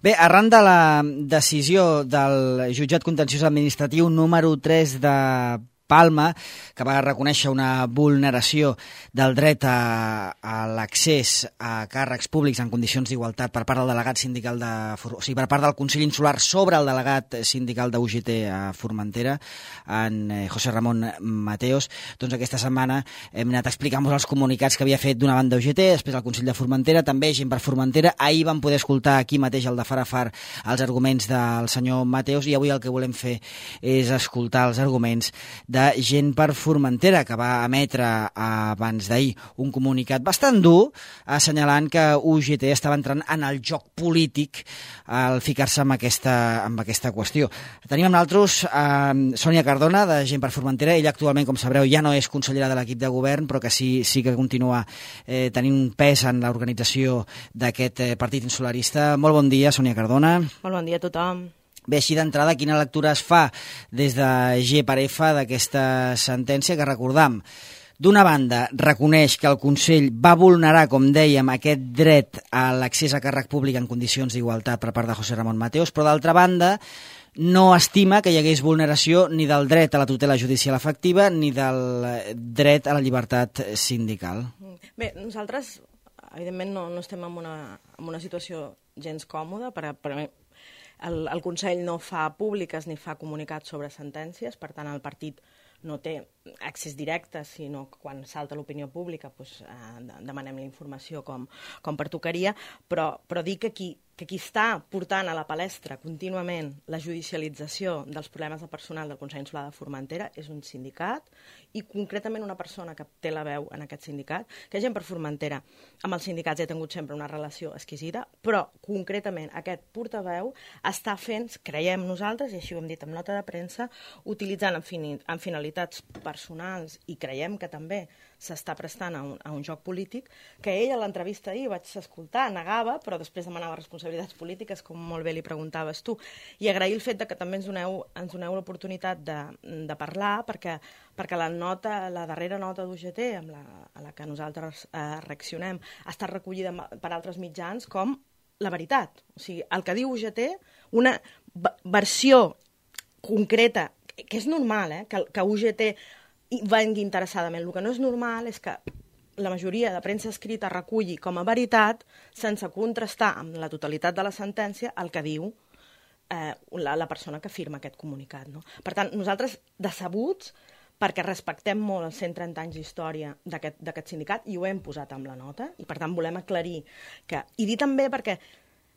Bé, arran de la decisió del jutjat contenciós administratiu número 3 de Palma, que va reconèixer una vulneració del dret a l'accés a càrrecs públics en condicions d'igualtat per part del delegat sindical per part del Consell Insular sobre el delegat sindical de UGT a Formentera, en José Ramon Mateos. Doncs aquesta setmana hem anat a explicar-vos els comunicats que havia fet d'una banda UGT, després el Consell de Formentera, també Gent per Formentera. Ahir vam poder escoltar aquí mateix el de far a far els arguments del senyor Mateos, i avui el que volem fer és escoltar els arguments de Gent per Formentera, que va emetre abans d'ahir un comunicat bastant dur, assenyalant que UGT estava entrant en el joc polític al ficar-se amb aquesta qüestió. Tenim amb nosaltres Sònia Cardona, de Gent per Formentera. Ella actualment, com sabreu, ja no és consellera de l'equip de govern, però que sí que continua tenint un pes en l'organització d'aquest partit insularista. Molt bon dia, Sònia Cardona. Molt bon dia a tothom. Bé, així d'entrada, quina lectura es fa des de G per F d'aquesta sentència que, recordam, d'una banda reconeix que el Consell va vulnerar, com dèiem, aquest dret a l'accés a càrrec públic en condicions d'igualtat per part de José Ramon Mateos, però d'altra banda no estima que hi hagués vulneració ni del dret a la tutela judicial efectiva ni del dret a la llibertat sindical. Bé, nosaltres, evidentment, no estem en una situació gens còmoda. El Consell no fa públiques ni fa comunicats sobre sentències, per tant el partit no té accés directe, sinó que quan salta l'opinió pública demanem la informació com pertocaria, però dir que qui està portant a la palestra contínuament la judicialització dels problemes de personal del Consell Insular de Formentera és un sindicat, i concretament una persona que té la veu en aquest sindicat, que Gent per Formentera amb els sindicats ha tingut sempre una relació exquisida, però concretament aquest portaveu està fent, creiem nosaltres, i així ho hem dit en nota de premsa, utilitzant en finalitats personals, i creiem que també s'està prestant a un joc polític, que ell a l'entrevista ahir vaig escoltar, negava, però després demanava responsabilitats polítiques, com molt bé li preguntaves tu, i agrair el fet que també ens doneu l'oportunitat de parlar, perquè la darrera nota d'UGT, a la que nosaltres reaccionem, ha estat recollida per altres mitjans com la veritat. O sigui, el que diu UGT, una versió concreta, que és normal, que UGT vengui interessadament. El que no és normal és que la majoria de premsa escrita reculli com a veritat, sense contrastar amb la totalitat de la sentència, el que diu la persona que firma aquest comunicat. No? Per tant, nosaltres, decebuts, perquè respectem molt els 130 anys d'història d'aquest sindicat, i ho hem posat amb la nota, i per tant volem aclarir que... I dir també perquè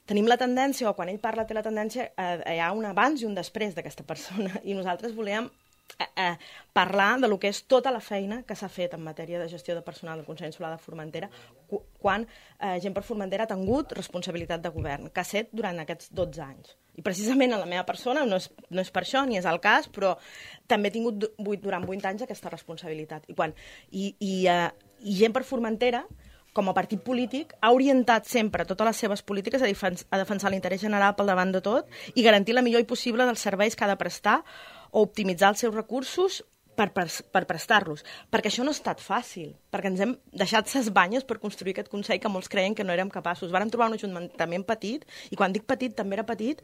tenim la tendència, o quan ell parla té la tendència, hi ha un abans i un després d'aquesta persona, i nosaltres volem parlar de lo que és tota la feina que s'ha fet en matèria de gestió de personal del Consell Insular de Formentera quan Gent per Formentera ha tingut responsabilitat de govern, que ha set durant aquests 12 anys. I precisament en la meva persona, no és per això, ni és el cas, però també he tingut durant 8 anys aquesta responsabilitat. I Gent per Formentera, com a partit polític, ha orientat sempre totes les seves polítiques a defensar l'interès general pel davant de tot i garantir la millor possible dels serveis que ha de prestar o optimitzar els seus recursos per prestar-los. Perquè això no ha estat fàcil, perquè ens hem deixat ses banyes per construir aquest Consell que molts creien que no érem capaços. Vàrem trobar un ajuntament petit, i quan dic petit també era petit,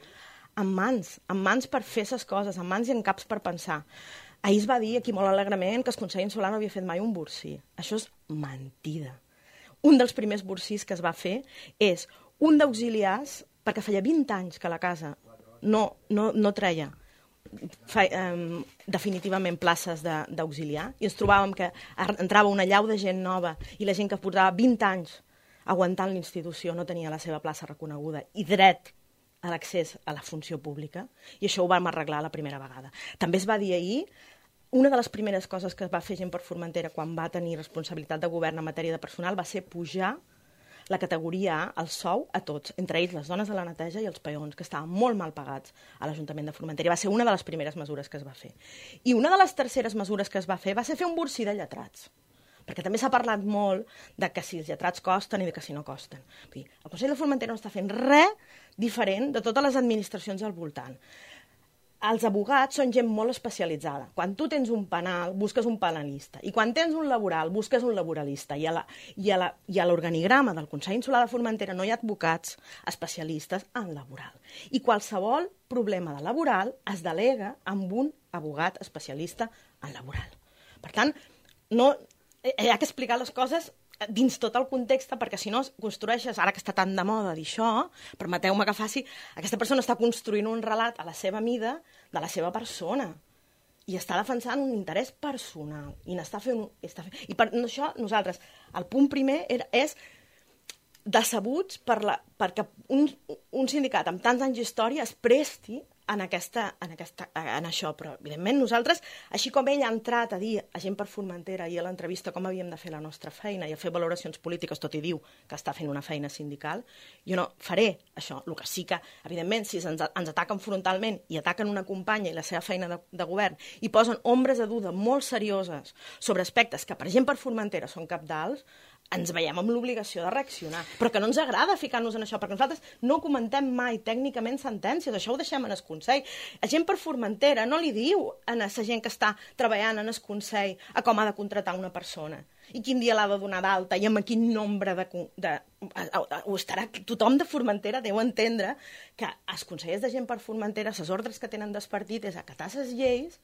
amb mans per fer ses coses, amb mans i en caps per pensar. Ahir es va dir aquí molt alegrement que el Consell Insular no havia fet mai un borsí. Això és mentida. Un dels primers borsís que es va fer és un d'auxiliars, perquè feia 20 anys que la casa no treia definitivament places d'auxiliar, i ens trobàvem que entrava una llau de gent nova i la gent que portava 20 anys aguantant l'institució no tenia la seva plaça reconeguda i dret a l'accés a la funció pública, i això ho vam arreglar la primera vegada. També es va dir ahir, una de les primeres coses que va fer Gent per Formentera quan va tenir responsabilitat de govern en matèria de personal va ser pujar la categoria A, el sou, a tots, entre ells les dones de la neteja i els peons, que estaven molt mal pagats a l'Ajuntament de Formentera. Va ser una de les primeres mesures que es va fer. I una de les terceres mesures que es va fer un borsí de lletrats, perquè també s'ha parlat molt de que si els lletrats costen i de que si no costen. El Consell de Formentera no està fent res diferent de totes les administracions al voltant. els abogats són gent molt especialitzada. Quan tu tens un penal, busques un penalista. I quan tens un laboral, busques un laboralista. I a l'organigrama del Consell Insular de Formentera no hi ha advocats especialistes en laboral. I qualsevol problema de laboral es delega amb un abogat especialista en laboral. Per tant, no, hi ha que explicar les coses dins tot el context, perquè si no construeixes, ara que està tan de moda dir això, permeteu-me que faci, aquesta persona està construint un relat a la seva mida de la seva persona i està defensant un interès personal i n'està fent... I per això nosaltres, el punt primer és decebuts perquè un sindicat amb tants anys d'història es presti en això, però evidentment nosaltres, així com ell ha entrat a dir a Gent per Formentera i a l'entrevista com havíem de fer la nostra feina i a fer valoracions polítiques, tot i diu que està fent una feina sindical, jo no faré això. El que sí que, evidentment, si ens ataquen frontalment i ataquen una companya i la seva feina de govern i posen ombres de duda molt serioses sobre aspectes que per Gent per Formentera són cabdals, ens veiem amb l'obligació de reaccionar. Però que no ens agrada ficar-nos en això, perquè nosaltres no comentem mai tècnicament sentències, això ho deixem en el Consell. A Gent per Formentera no li diu a la gent que està treballant en el Consell a com ha de contratar una persona i quin dia l'ha de donar d'alta i amb quin nombre tothom de Formentera deu entendre que els consellers de Gent per Formentera, les ordres que tenen del partit és acatar les lleis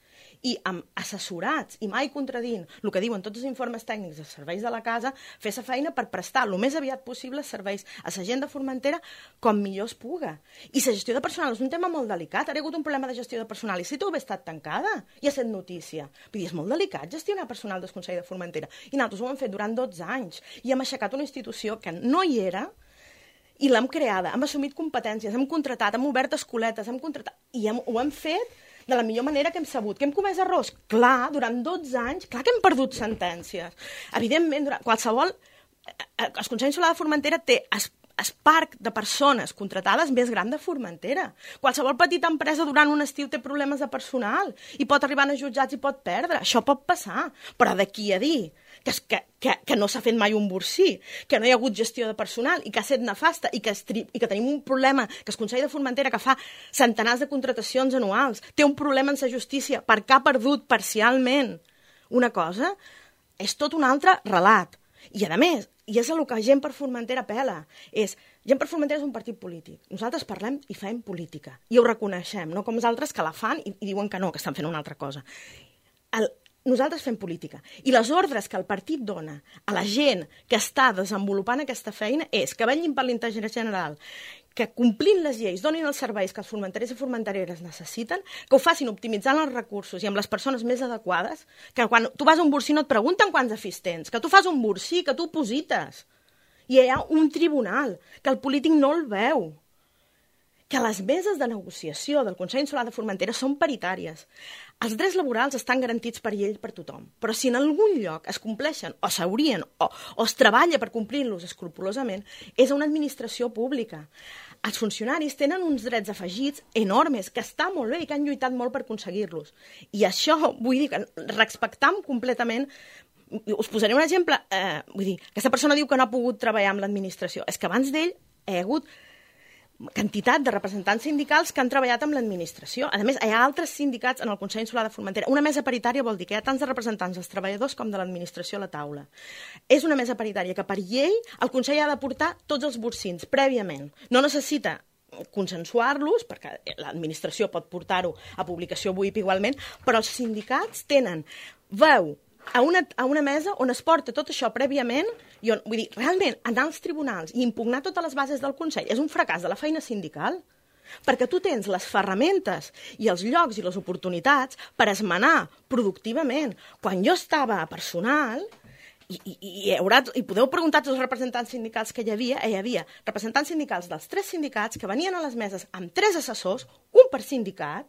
i amb assessorats i mai contradint el que diuen tots els informes tècnics dels serveis de la casa, fer la feina per prestar el més aviat possible serveis a la gent de Formentera com millor es puga. I la gestió de personal és un tema molt delicat. Ara hi ha hagut un problema de gestió de personal i si tu haver estat tancada i ha estat notícia. Vull dir, és molt delicat gestionar personal del Consell de Formentera. I nosaltres ho hem fet durant 12 anys i hem aixecat una institució que no hi era i l'hem creada, hem assumit competències, hem contratat, hem obert escoletes, i ho hem fet de la millor manera que hem sabut. Que hem comès errors? Clar, durant 12 anys, clar que hem perdut sentències. Evidentment, el Consell Insular de Formentera té el parc de persones contratades més gran de Formentera. Qualsevol petita empresa durant un estiu té problemes de personal i pot arribar a jutjats i pot perdre. Això pot passar, però d'aquí a dir que no s'ha fet mai un borsí, que no hi ha hagut gestió de personal i que ha estat nefasta i que tenim un problema, que el Consell de Formentera, que fa centenars de contratacions anuals, té un problema en la justícia perquè ha perdut parcialment una cosa, és tot un altre relat. I a més, i és el que Gent per Formentera apela, Gent per Formentera és un partit polític. Nosaltres parlem i fem política, i ho reconeixem, no com els altres que la fan i diuen que no, que estan fent una altra cosa. Nosaltres fem política, i les ordres que el partit dona a la gent que està desenvolupant aquesta feina és que vetllin per l'interès general, que complint les lleis donin els serveis que els formenterers i formentereres necessiten, que ho facin optimitzant els recursos i amb les persones més adequades, que quan tu vas a un borsí no et pregunten quants afers tens, que tu fas un borsí, que tu posites. I hi ha un tribunal, que el polític no el veu. Que les meses de negociació del Consell Insular de Formentera són paritàries. Els drets laborals estan garantits per llei per tothom, però si en algun lloc es compleixen o s'haurien o es treballa per complir-los escrupolosament, és a una administració pública. Els funcionaris tenen uns drets afegits enormes, que està molt bé i que han lluitat molt per aconseguir-los. I això, vull dir, que respectam completament. Us posaré un exemple. Vull dir, aquesta persona diu que no ha pogut treballar amb l'administració. És que abans d'ell hi ha hagut quantitat de representants sindicals que han treballat amb l'administració. A més, hi ha altres sindicats en el Consell Insular de Formentera. Una mesa paritària vol dir que hi ha tants de representants dels treballadors com de l'administració a la taula. És una mesa paritària que per llei el Consell ha de portar tots els borsins prèviament. No necessita consensuar-los, perquè l'administració pot portar-ho a publicació WIP igualment, però els sindicats tenen veu a una mesa on es porta tot això prèviament, i on, vull dir, realment, anar als tribunals i impugnar totes les bases del Consell és un fracàs de la feina sindical, perquè tu tens les ferramentes i els llocs i les oportunitats per esmenar productivament. Quan jo estava a personal, i podeu preguntar als representants sindicals que hi havia representants sindicals dels 3 sindicats que venien a les meses amb 3 assessors, un per sindicat.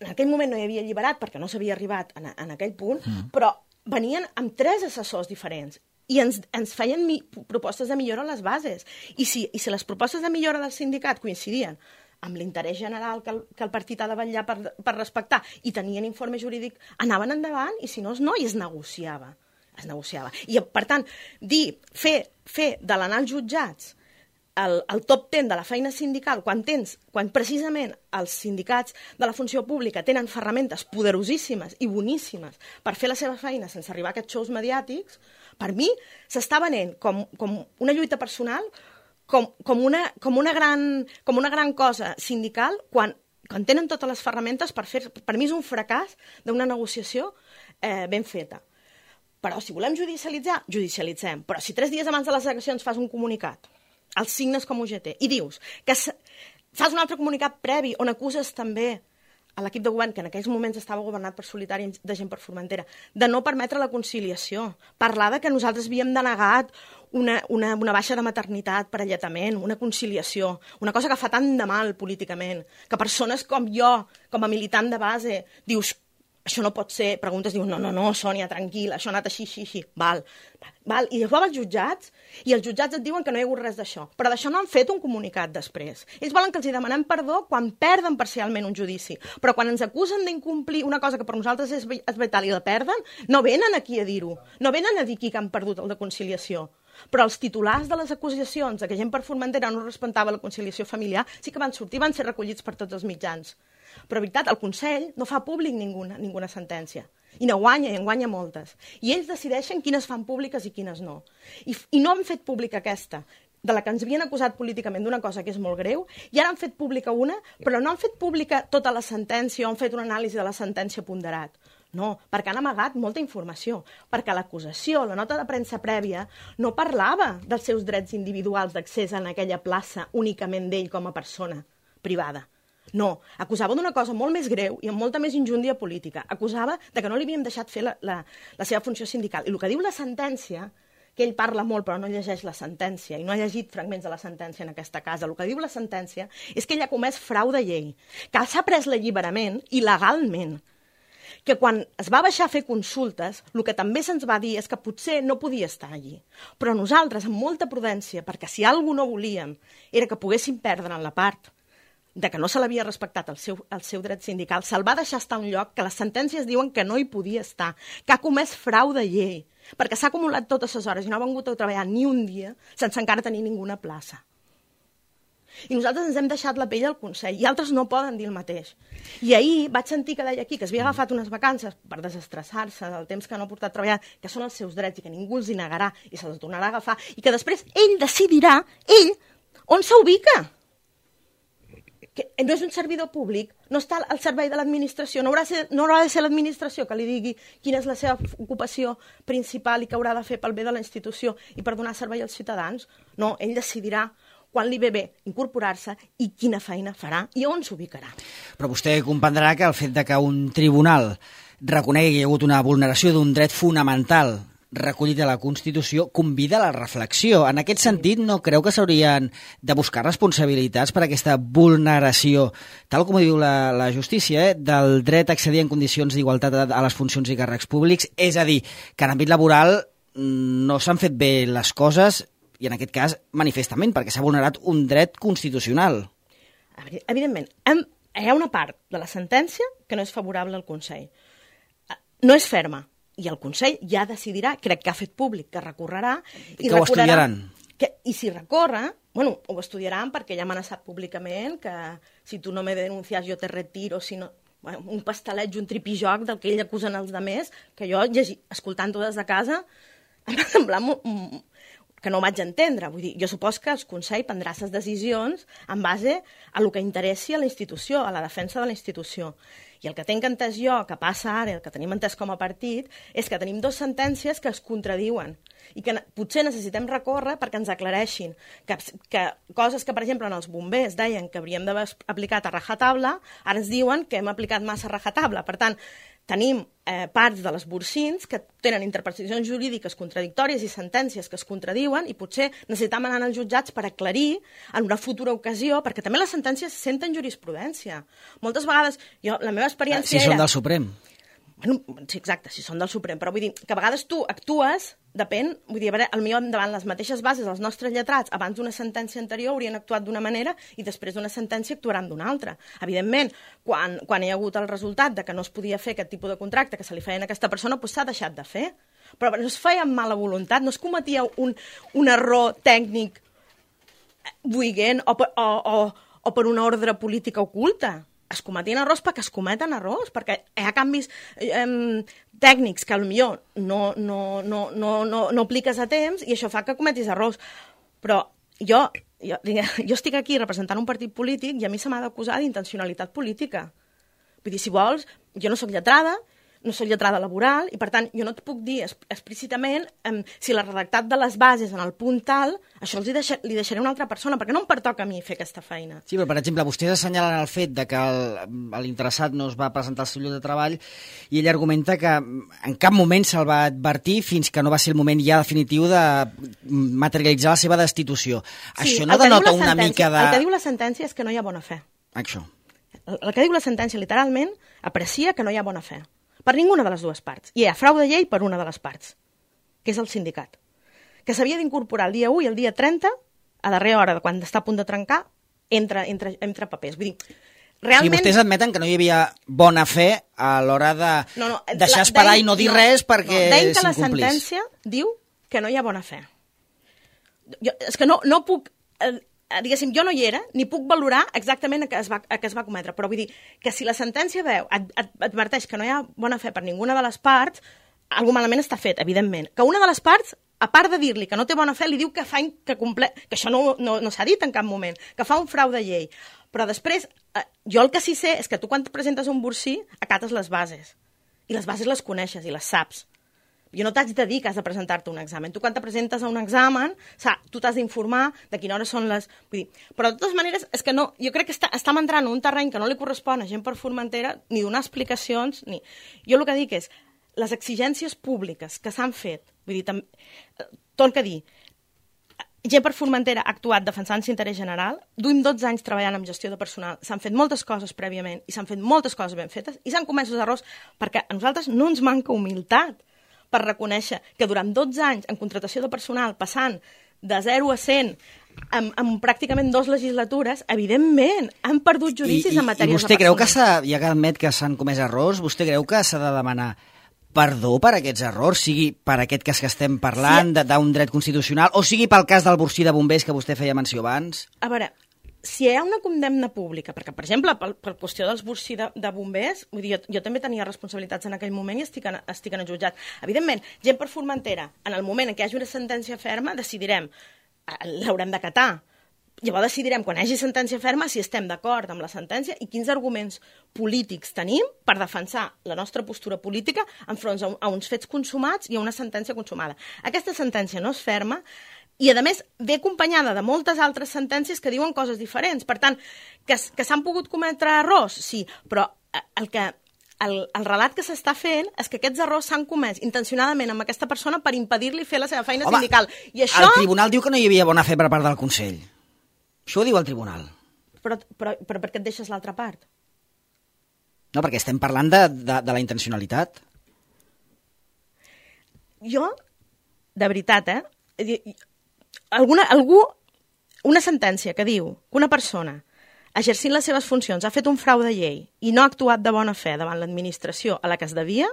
En aquell moment no hi havia alliberat perquè no s'havia arribat en aquell punt, però venien amb 3 assessors diferents i ens feien propostes de millora a les bases. I si les propostes de millora del sindicat coincidien amb l'interès general que el partit ha de vetllar per respectar i tenien informe jurídic, anaven endavant, i si no, no, i es negociava. I, per tant, fer de l'anar als jutjats el top 10 de la feina sindical, quan precisament els sindicats de la funció pública tenen ferramentes poderosíssimes i boníssimes per fer la seva feina sense arribar a aquests shows mediàtics, per mi s'està venent com una lluita personal, com una gran cosa sindical, quan tenen totes les ferramentes per fer... Per mi és un fracàs d'una negociació ben feta. Però si volem judicialitzar, judicialitzem. Però si 3 dies abans de les eleccions fas un comunicat, els signes com UGT, i dius que fas un altre comunicat previ on acuses també a l'equip de govern, que en aquells moments estava governat per Solitari de Gent per Formentera, de no permetre la conciliació, parlar de que nosaltres havíem denegat una baixa de maternitat per alletament, una conciliació, una cosa que fa tant de mal políticament, que persones com jo, com a militant de base, dius, això no pot ser, preguntes, dius, no, Sònia, tranquil, això ha anat així. Val. I llavors vas als jutjats, i els jutjats et diuen que no hi ha hagut res d'això. Però d'això no han fet un comunicat després. Ells volen que els demanem perdó quan perden parcialment un judici. Però quan ens acusen d'incomplir una cosa que per nosaltres és vital i la perden, no venen aquí a dir-ho. No venen a dir que han perdut el de conciliació. Però els titulars de les acusacions de que Gent per Formentera no respectava la conciliació familiar sí que van sortir, van ser recollits per tots els mitjans. Però, veritat, el Consell no fa públic ninguna sentència. I no guanya, i en guanya moltes. I ells decideixen quines fan públiques i quines no. I no han fet pública aquesta, de la que ens havien acusat políticament d'una cosa que és molt greu, i ara han fet pública una, però no han fet pública tota la sentència o han fet una anàlisi de la sentència ponderat. No, perquè han amagat molta informació, perquè l'acusació, la nota de premsa prèvia, no parlava dels seus drets individuals d'accés en aquella plaça únicament d'ell com a persona privada. No, acusava d'una cosa molt més greu i amb molta més injúndia política. Acusava de que no li havíem deixat fer la seva funció sindical. I el que diu la sentència, que ell parla molt però no llegeix la sentència i no ha llegit fragments de la sentència en aquesta casa, el que diu la sentència és que ell ha comès frau de llei, que s'ha pres l'alliberament il·legalment, que quan es va baixar a fer consultes, el que també se'ns va dir és que potser no podia estar allí. Però nosaltres, amb molta prudència, perquè si alguna no volíem era que poguéssim perdre en la part de que no se l'havia respectat el seu dret sindical, se'l va deixar estar a un lloc que les sentències diuen que no hi podia estar, que ha comès frau de llei, perquè s'ha acumulat totes les hores i no ha vengut a treballar ni un dia sense encara tenir ninguna plaça. I nosaltres ens hem deixat la pell al Consell, i altres no poden dir el mateix. I ahir vaig sentir que deia aquí que s'havia agafat unes vacances per desestressar-se del temps que no ha portat a treballar, que són els seus drets i que ningú els hi negarà i se'ls tornarà a agafar, i que després ell decidirà, on s'ubica. Que no és un servidor públic, no està al servei de l'administració, no haurà de ser l'administració que li digui quina és la seva ocupació principal i què haurà de fer pel bé de la institució i per donar servei als ciutadans. No, ell decidirà quan li ve bé incorporar-se i quina feina farà i on s'ubicarà. Però vostè comprendrà que el fet de que un tribunal reconegui que hi ha hagut una vulneració d'un dret fonamental recollit a la Constitució convida a la reflexió. En aquest sentit, no creu que s'haurien de buscar responsabilitats per aquesta vulneració, tal com diu la justícia, del dret a accedir en condicions d'igualtat a les funcions i càrrecs públics? És a dir, que en àmbit laboral no s'han fet bé les coses, i en aquest cas manifestament, perquè s'ha vulnerat un dret constitucional. Evidentment, hi ha una part de la sentència que no és favorable al Consell. No és ferma, i el Consell ja decidirà, crec que ha fet públic, que recorrerà... I que ho estudiaran. I si recorre, ho estudiaran perquè ja m'ha amenaçat públicament que si tu no me denuncias jo te retiro, si no... un pastelet i un tripijoc del que ell acusen els altres, que jo, escoltant-ho des de casa, em va semblar que no ho vaig entendre. Vull dir, jo supos que el Consell prendrà les decisions en base a el que interessi a la institució, a la defensa de la institució. I el que tinc entès jo, que passa ara, el que tenim entès com a partit, és que tenim 2 sentències que es contradiuen i que potser necessitem recórrer perquè ens aclareixin que coses que, per exemple, en els bombers deien que hauríem d'haver aplicat a rajatabla, ara ens diuen que hem aplicat massa a rajatabla. Per tant, tenim parts de les bursins que tenen interpretacions jurídiques contradictòries i sentències que es contradiuen i potser necessitem anar als jutjats per aclarir en una futura ocasió, perquè també les sentències senten jurisprudència. Moltes vegades, la meva experiència era... Si són del Suprem. Sí, exacte, si són del Suprem, però vull dir que a vegades tu actues, depèn, vull dir, potser davant les mateixes bases, els nostres lletrats, abans d'una sentència anterior haurien actuat d'una manera i després d'una sentència actuaran d'una altra. Evidentment, quan hi ha hagut el resultat de que no es podia fer aquest tipus de contracte que se li feia a aquesta persona, doncs s'ha deixat de fer. Però no es feia amb mala voluntat, no es cometia un error tècnic buiguent o per una ordre política oculta. Es cometien errors perquè es cometen errors, perquè hi ha canvis tècnics que potser no apliques a temps i això fa que cometis errors. Però jo estic aquí representant un partit polític i a mi se m'ha d'acusar d'intencionalitat política. Vull dir, si vols, jo no soc lletrada, no soc lletrada laboral, i per tant jo no et puc dir explícitament si la redactat de les bases en el punt tal, això li deixaré a una altra persona, perquè no em pertoca a mi fer aquesta feina. Sí, però per exemple, vostès assenyalen el fet de que l'interessat no es va presentar al seu lloc de treball i ell argumenta que en cap moment se'l va advertir fins que no va ser el moment ja definitiu de materialitzar la seva destitució. Sí, això no denota una mica de... El que diu la sentència és que no hi ha bona fe. Això. El que diu la sentència literalment aprecia que no hi ha bona fe. Per ninguna de les dues parts. I hi ha frau de llei per una de les parts, que és el sindicat, que s'havia d'incorporar el dia 1 i el dia 30, a darrera hora, quan està a punt de trencar, entre papers. Vull dir, realment... I vostès admeten que no hi havia bona fe a l'hora de deixar esperar i no dir res perquè s'incomplís. Deim que la sentència diu que no hi ha bona fe. És que no puc... diguéssim, jo no hi era, ni puc valorar exactament a què es va cometre, però vull dir que si la sentència adverteix que no hi ha bona fe per ninguna de les parts, alguna malament està fet, evidentment. Que una de les parts, a part de dir-li que no té bona fe, li diu que això no s'ha dit en cap moment, que fa un frau de llei. Però després, jo el que sí sé és que tu quan et presentes a un bursí acates les bases, i les bases les coneixes i les saps. Jo no t'haig de dir que has de presentar-te un examen. Tu quan te presentes a un examen, tu t'has d'informar de quina hora són les... Vull dir, però de totes maneres, és que no, jo crec que estem entrant en un terreny que no li correspon a gent per Formentera ni donar explicacions, ni... Jo el que dic és, les exigències públiques que s'han fet, vull dir, torno a dir, gent per Formentera ha actuat defensant l'interès general, duim 12 anys treballant en gestió de personal, s'han fet moltes coses prèviament i s'han fet moltes coses ben fetes i s'han comès els errors perquè a nosaltres no ens manca humilitat per reconèixer que durant 12 anys en contratació de personal, passant de 0 a 100 en pràcticament 2 legislatures, evidentment, han perdut judicis en matèries de personal. I vostè creu que ja que admet que s'han comès errors, vostè creu que s'ha de demanar perdó per aquests errors, sigui per aquest cas que estem parlant, d'un dret constitucional, o sigui pel cas del Bursí de Bombers que vostè feia menció abans? A veure, si hi ha una condemna pública, perquè, per exemple, per qüestió dels Bursí de Bombers, vull dir, jo també tenia responsabilitats en aquell moment i estic en el jutjat. Evidentment, gent per Formentera, en el moment en què hi hagi una sentència ferma, decidirem, l'haurem d'acatar. Llavors decidirem, quan hi hagi sentència ferma, si estem d'acord amb la sentència i quins arguments polítics tenim per defensar la nostra postura política enfront a uns fets consumats i a una sentència consumada. Aquesta sentència no és ferma i, a més, ve acompanyada de moltes altres sentències que diuen coses diferents. Per tant, que s'han pogut cometre errors, sí, però el relat que s'està fent és que aquests errors s'han comès intencionadament amb aquesta persona per impedir-li fer la seva feina sindical. I això... El tribunal diu que no hi havia bona fe per part del Consell. Això ho diu el tribunal. Però per què et deixes l'altra part? No, perquè estem parlant de la intencionalitat. Jo, de veritat, una sentència que diu que una persona exercint les seves funcions ha fet un frau de llei i no ha actuat de bona fe davant l'administració a la que es devia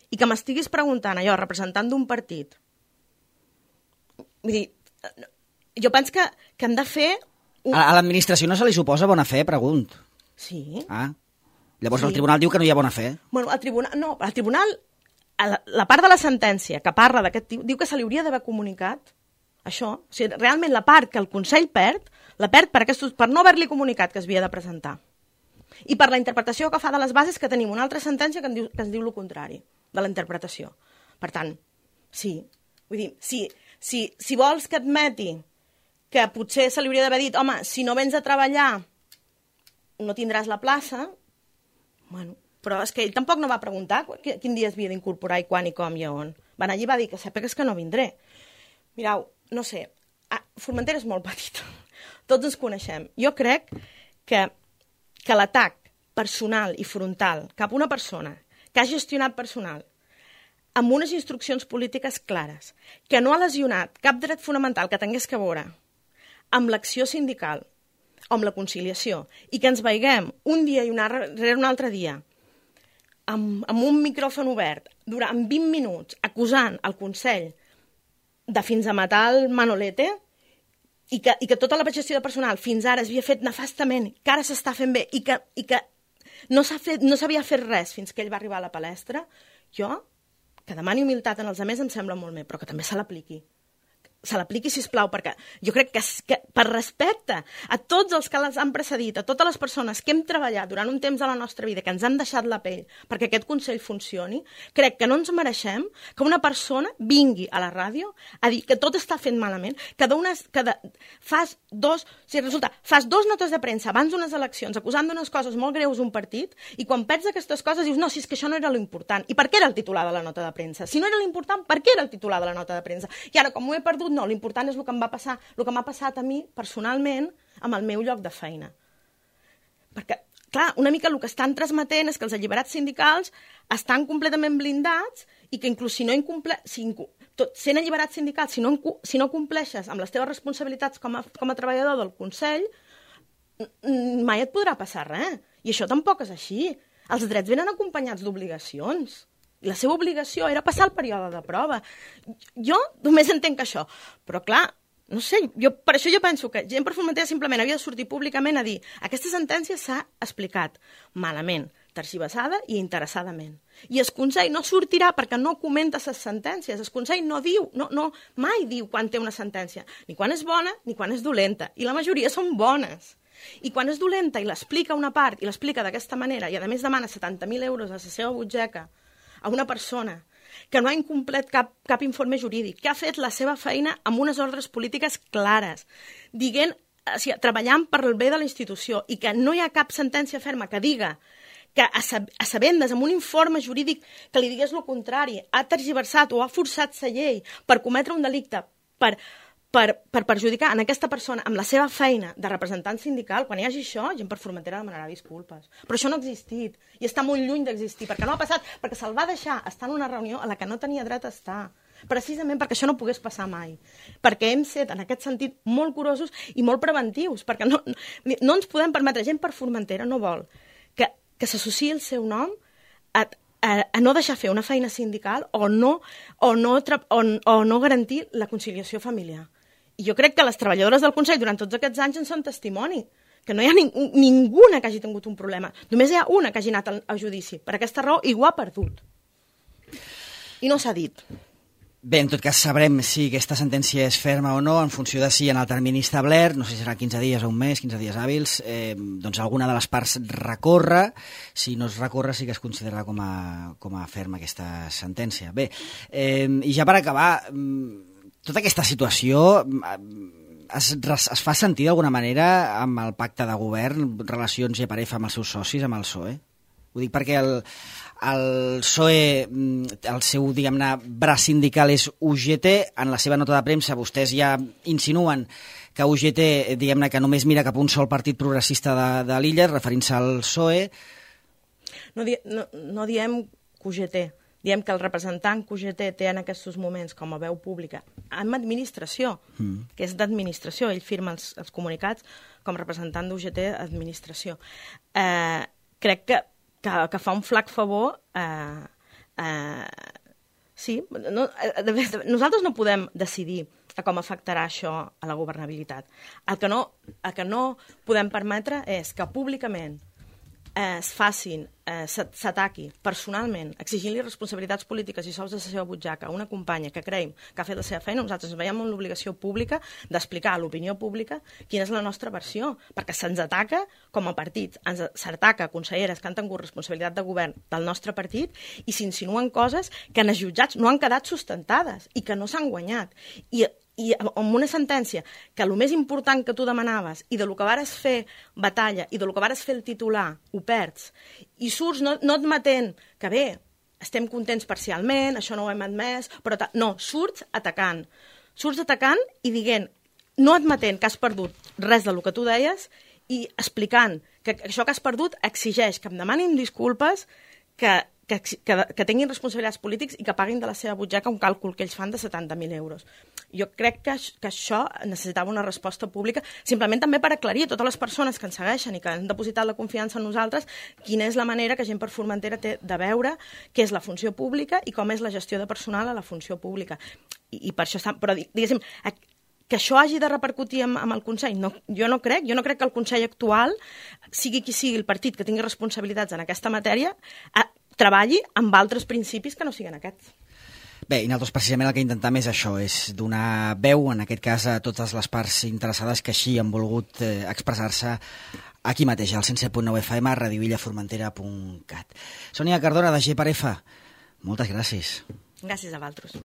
i que m'estiguis preguntant allò representant d'un partit. Vull dir, jo penso que hem de fer... A l'administració no se li suposa bona fe, pregunt. Sí. Llavors el tribunal diu que no hi ha bona fe. Bueno, el tribunal, la part de la sentència que parla d'aquest tipus, diu que se li hauria d'haver comunicat això. O sigui, realment la part que el Consell perd, la perd per no haver-li comunicat que es havia de presentar. I per la interpretació que fa de les bases, que tenim una altra sentència que ens diu el contrari de la interpretació. Per tant, sí. Vull dir, si vols que admeti que potser se li hauria d'haver dit, home, si no vens a treballar no tindràs la plaça, bueno, però és que ell tampoc no va preguntar quin dia es havia d'incorporar i quan i com i on. Va anar allí i va dir que sàpigues que no vindré. Mireu, no sé, Formentera és molt petita, tots ens coneixem. Jo crec que l'atac personal i frontal cap a una persona que ha gestionat personal amb unes instruccions polítiques clares, que no ha lesionat cap dret fonamental que tingués que veure amb l'acció sindical o amb la conciliació, i que ens veiguem un dia i un altre dia amb un micròfon obert durant 20 minuts acusant el Consell de fins a matar el Manolete, i que tota la gestió de personal fins ara s'havia fet nefastament, que ara s'està fent bé i que no s'havia fet res fins que ell va arribar a la palestra, jo, que demani humilitat en els altres em sembla molt bé, però que també se l'apliqui, sisplau, perquè jo crec que per respecte a tots els que les han precedit, a totes les persones que hem treballat durant un temps de la nostra vida, que ens han deixat la pell perquè aquest Consell funcioni, crec que no ens mereixem que una persona vingui a la ràdio a dir que tot està fent malament, fas dos notes de premsa abans d'unes eleccions acusant d'unes coses molt greus un partit i quan perds aquestes coses dius no, si és que això no era l'important. I per què era el titular de la nota de premsa? Si no era l'important, per què era el titular de la nota de premsa? I ara, com ho he perdut, no, l'important és el que m'ha passat a mi personalment amb el meu lloc de feina. Perquè, clar, una mica el que estan transmetent és que els alliberats sindicals estan completament blindats i que inclús sent alliberat sindical, si no compleixes amb les teves responsabilitats com a treballador del Consell, mai et podrà passar res. I això tampoc és així. Els drets venen acompanyats d'obligacions. I la seva obligació era passar el període de prova. Jo només entenc això. Però, clar, no sé, per això jo penso que Gent per Formentera simplement havia de sortir públicament a dir aquesta sentència s'ha explicat malament, tergiversada i interessadament. I el Consell no sortirà perquè no comenta les sentències. El Consell no diu, mai diu quan té una sentència, ni quan és bona ni quan és dolenta. I la majoria són bones. I quan és dolenta i l'explica una part i l'explica d'aquesta manera i a més demana 70.000 euros a la seva butxaca a una persona que no ha incomplert cap informe jurídic, que ha fet la seva feina amb unes ordres polítiques clares, treballant per el bé de la institució i que no hi ha cap sentència ferma que diga que a sabendes amb un informe jurídic que li digués el contrari, ha tergiversat o ha forçat la llei per cometre un delicte, per perjudicar en aquesta persona amb la seva feina de representant sindical. Quan hi hagi això, Gent per Formentera demanarà disculpes. Però això no ha existit i està molt lluny d'existir, perquè no ha passat, perquè se'l va deixar estar en una reunió a la que no tenia dret a estar, precisament perquè això no pogués passar mai, perquè hem set en aquest sentit molt curosos i molt preventius, perquè no ens podem permetre. Gent per Formentera no vol que s'associï el seu nom a no deixar fer una feina sindical o no garantir la conciliació familiar. I jo crec que les treballadores del Consell durant tots aquests anys en són testimoni, que no hi ha ninguna que hagi tingut un problema. Només hi ha una que hagi anat a judici. Per aquesta raó, i ho ha perdut. I no s'ha dit. Bé, en tot cas sabrem si aquesta sentència és ferma o no en funció de si en el termini establert, no sé si serà 15 dies o un mes, 15 dies hàbils, doncs alguna de les parts recorre. Si no es recorre sí que es considerarà com a ferma aquesta sentència. Bé, i ja per acabar, tota aquesta situació es fa sentir d'alguna manera amb el pacte de govern, relacions GPRF amb els seus socis, amb el PSOE? Ho dic perquè el PSOE, el seu, diguem-ne, braç sindical és UGT. En la seva nota de premsa vostès ja insinuen que UGT, diguem-ne, que només mira cap a un sol partit progressista de l'illa, referint-se al PSOE. No diem que UGT, diem que el representant que UGT té en aquests moments com a veu pública amb administració, que és d'administració, ell firma els comunicats com a representant d'UGT administració. Crec que fa un flac favor. Sí, nosaltres no podem decidir com afectarà això a la governabilitat. El que no podem permetre és que públicament s'ataqui personalment, exigint-li responsabilitats polítiques i sous de la seva butxaca a una companya que creiem que ha fet la seva feina. Nosaltres ens veiem amb l'obligació pública d'explicar a l'opinió pública quina és la nostra versió, perquè se'ns ataca com a partit, s'ataca conselleres que han tingut responsabilitat de govern del nostre partit i s'insinuen coses que en els jutjats no han quedat sustentades i que no s'han guanyat. I amb una sentència que el més important que tu demanaves i de lo que vares fer batalla i de lo que vares fer el titular ho perds i surts no admetent que bé, estem contents parcialment, això no ho hem admès, però no, surts atacant i dient, no admetent que has perdut res del que tu deies i explicant que això que has perdut exigeix que em demanin disculpes, que tinguin responsabilitats polítics i que paguin de la seva butxaca un càlcul que ells fan de 70.000 euros. Jo crec que això necessitava una resposta pública, simplement també per aclarir a totes les persones que ens segueixen i que han depositat la confiança en nosaltres quina és la manera que Gent per Formentera té de veure què és la funció pública i com és la gestió de personal a la funció pública. I per això però diguéssim, que això hagi de repercutir amb el Consell, no, jo no crec que el Consell actual, sigui qui sigui el partit que tingui responsabilitats en aquesta matèria, treballi amb altres principis que no siguin aquests. Bé, i nosaltres precisament el que intentem és això, és donar veu, en aquest cas, a totes les parts interessades que així han volgut expressar-se aquí mateix, al 107.9 FM, radioillaformentera.cat. Sònia Cardona, de G per F, moltes gràcies. Gràcies a vosaltres.